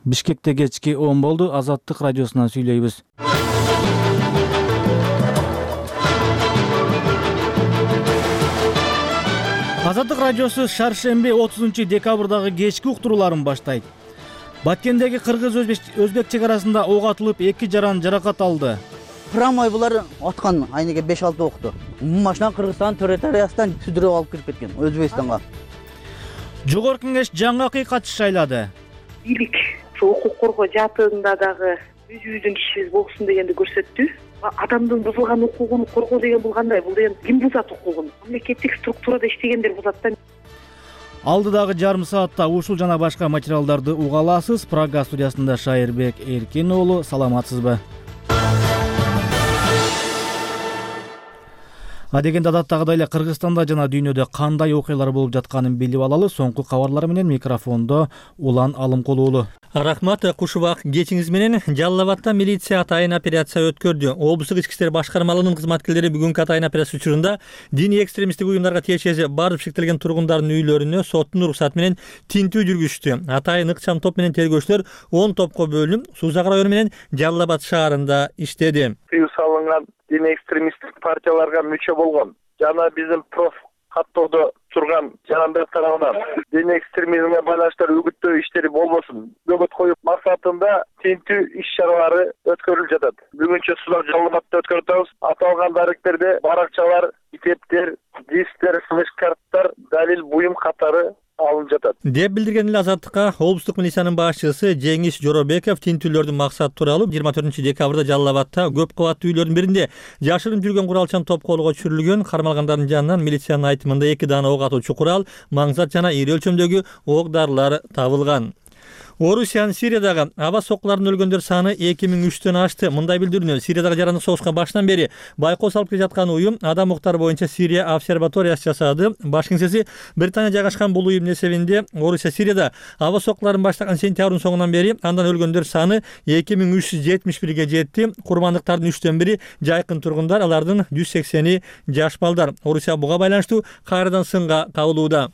Бишкекте кечки 10 болду. Азаттык радиосунан сүйлөйбүз. Азаттык радиосу шаршемби 30-декабрдагы кечки уктурууларын баштайт. Баткендеги кыргыз-өзбек чек арасында ок атылып 2 жаран жаракат алды. Прамой булар аткан айнеге 5-6 окту. Машина Кыргызстан территориясынан сүдүрүп алып кирип кеткен Өзбекстанга. Жогорку кеңеш жаңы акыйкатчы шайлады. Бийлик укук коргоо жаатында дагы өзүбүздүн кишибиз болсун дегенди көрсөттү. Адамдын бузулган укугун коргоо деген бул кандай? Бул деген ким бузат укугун? Мамлекеттик структурада иштегендер бузат да. Алдыдагы жарым саатта ушул жана башка материалдарды уга аласыз. Прага студиясында Шайырбек Эркин уулу, саламатсызбы? Адегенде адаттагыдай эле Кыргызстанда жана дүйнөдө кандай окуялар болуп жатканын билип алалы. Соңку кабарлар менен микрофондо Улан Алымкул уулу. Рахмат, кушубак кечиңиз менен. Жалал Абадта милиция атайын операция өткөрдү. Облустук ички иштер башкармалыгынын кызматкерлери бүгүнкү атайын операция учурунда диний экстремисттик уюмдарга тиешеси барып шектелген тургундардын үйлөрүнө соттун уруксаты менен тинтүү жүргүздү. Атайын ыкчам топ менен тергөөчүлөр 10 топко бөлүнүп, Сузак району менен Жалал Абад шаарында иштеди. Тыюу салынган диний экстремисттик партияларга мүчө болгон жана биздин проф каттоодо турган жарандар тарабынан диний экстремизмге байланыштуу үгүттөө иштери болбосун көбөт коюп максатында тинтүү иш-чаралары өткөрүлүп жатат. Бүгүнчө Сузак Жалал Абадта өткөрүп атабыз. Аталган даректерде баракчалар, китептер, дисктер, флеш-карттар, далил буюм катары алынып жатат деп билдирген эле Азаттыкка облустук милициянын башчысы Жеңиш Жоробеков тинтүүлөрдүн максаты тууралуу 24-декабрда Жалал Абадта көп кабаттуу үйлөрдүн биринде жашырын жүргөн куралчан топ колго түшүрүлгөн. Кармалгандардын жанынан милициянын айтымында 2 дана ок атуучу курал, маңзат жана ири өлчөмдөгү ок дарылар табылган. Орусиянын Сириядагы аба соккуларынын өлгөндөр саны 2003төн ашты. Мындай билдирүүнү Сириядагы жарандык согушка башынан бери байкоо салып келе жаткан уюм Адам укуктары боюнча Сирия обсерваториясы жасады. Баш кеңсеси Британия жайгашкан бул уюмдун эсебинде Орусия Сирияда аба соккуларын баштаган сентябрдын соңунан бери андан өлгөндөр саны 2371ге жетти. Курмандыктардын 3төн бири жайкын тургундар, алардын 180и жаш балдар. Орусия буга байланыштуу кайрадан сынга кабылууда.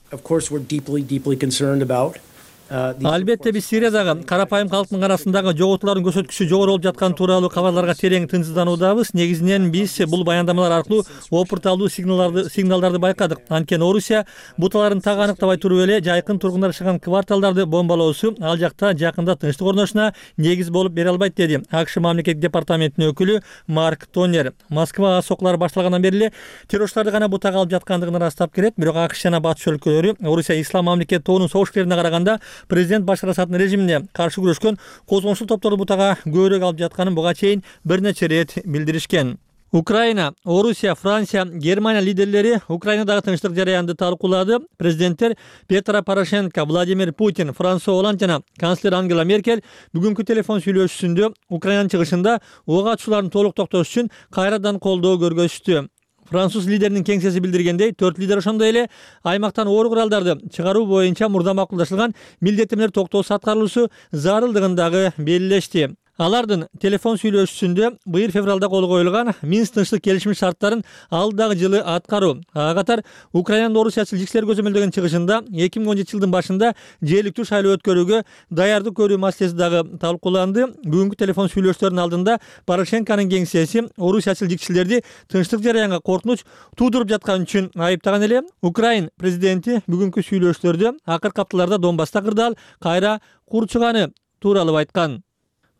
Албетте биз Сириядагы карапайым калктын арасындагы жоготуулардын көрсөткүчү жогору болуп жатканы тууралуу кабарларга терең тынчсыздануудабыз. Негизинен биз бул баяндамалар аркылуу опурталдуу сигналдарды байкадык. Анткени Орусия буталарын так аныктабай туруп эле жайкын тургундар жашаган кварталдарды бомбалоосу ал жакта жакында тынчтык орношуна негиз болуп бере албайт, деди АКШ мамлекеттик департаментинин өкүлү Марк Тонер. Москва сокулары башталгандан бери эле террорчуларды гана бутага алып жаткандыгын ырастап келет. Бирок АКШ жана батыш өлкөлөрү Орусия ислам мамлекет тобунун согушкерлерине караганда президент Башар Асаддын режимине каршы күрөшкөн козгончул топторду бутага көбүрөөк алып жатканын буга чейин бир нече рет билдиришкен. Украина, Орусия, Франция, Германия лидерлери Украинадагы тынчтык жараянды талкуулады. Президенттер Петро Порошенко, Владимир Путин, Франсуа Оланд жана канцлер Ангела Меркель бүгүнкү телефон сүйлөшүүсүндө Украинанын чыгышында ок атуучулардын толук токтош үчүн кайрадан колдоо көргөзүштү. Француз лидеринин кеңсеси билдиргендей, 4 лидер ошондой эле аймактан оор куралдарды чыгаруу боюнча мурда макулдашылган милдеттемелер токтоосу аткарылуусу зарылдыгын дагы белгилешти. Алардын телефон сүйлөшүүсүндө быйыл февралда кол коюлган Минск тынчтык келишими шарттарын алдагы жылы аткаруу, ага катар Украинанын Орусиячыл жикселер көзөмөлдөгөн чыгышында 2017 жылдын башында жергиликтүү шайлоо өткөрүүгө даярдык көрүү маселеси дагы талкууланды. Бүгүнкү телефон сүйлөшүүлөрдүн алдында Порошенконун кеңсеси Орусиячыл жикселерди тынчтык жараянга коркунуч туудуруп жатканы үчүн айыптаган эле. Украин президенти бүгүнкү сүйлөшүүлөрдө акыркы апталарда Донбасста кырдаал кайра курчуганы тууралуу айткан.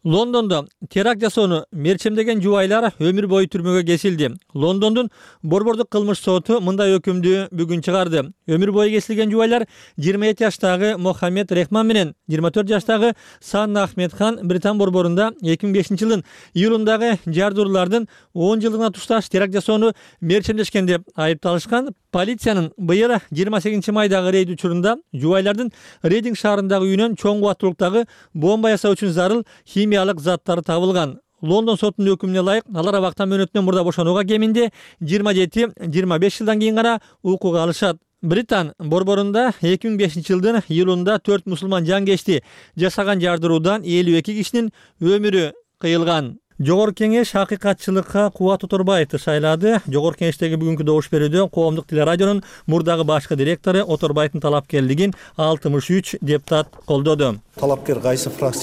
Лондондо теракт жасоону мерчемдеген жубайлар өмүр бою түрмөгө кесилди. Лондондун борбордук кылмыш соту мындай өкүмдү бүгүн чыгарды. Өмүр бою кесилген жубайлар 27 жаштагы Мохаммед Рехман менен 24 жаштагы Санна Ахмедхан Британ борборунда 2005 жылдын июлундагы жардыруулардын 10 жылдыгына тушташ теракт жасоону мерчемдешкен деп айыпталышкан. Полициянын быйыл 28 майдагы рейд учурунда жубайлардын Рейдинг шаарындагы үйүнөн чоң кубаттуулуктагы бомба жасоо үчүн зарыл химиялык заттар табылган. Лондон сотунун өкүмүнө ылайык алар абактан мөөнөтүнөн мурда бошонууга кеминде 27-25 жылдан кийин гана укук алышат. Британ борборунда 2005 жылдын июлунда 4 мусулман жан кечти. Жасаган жардыруудан 52 кишинин өмүрү кыйылган. Жогорку кеңеш акыйкатчылыкка Кубат Оторбаевди шайлады. Жогорку кеңештеги бүгүнкү добуш берүүдө Коомдук телерадионун мурдагы башкы директору Оторбаевдин талапкерлигин 63 депутат колдоду. Талапкер кайсы фракция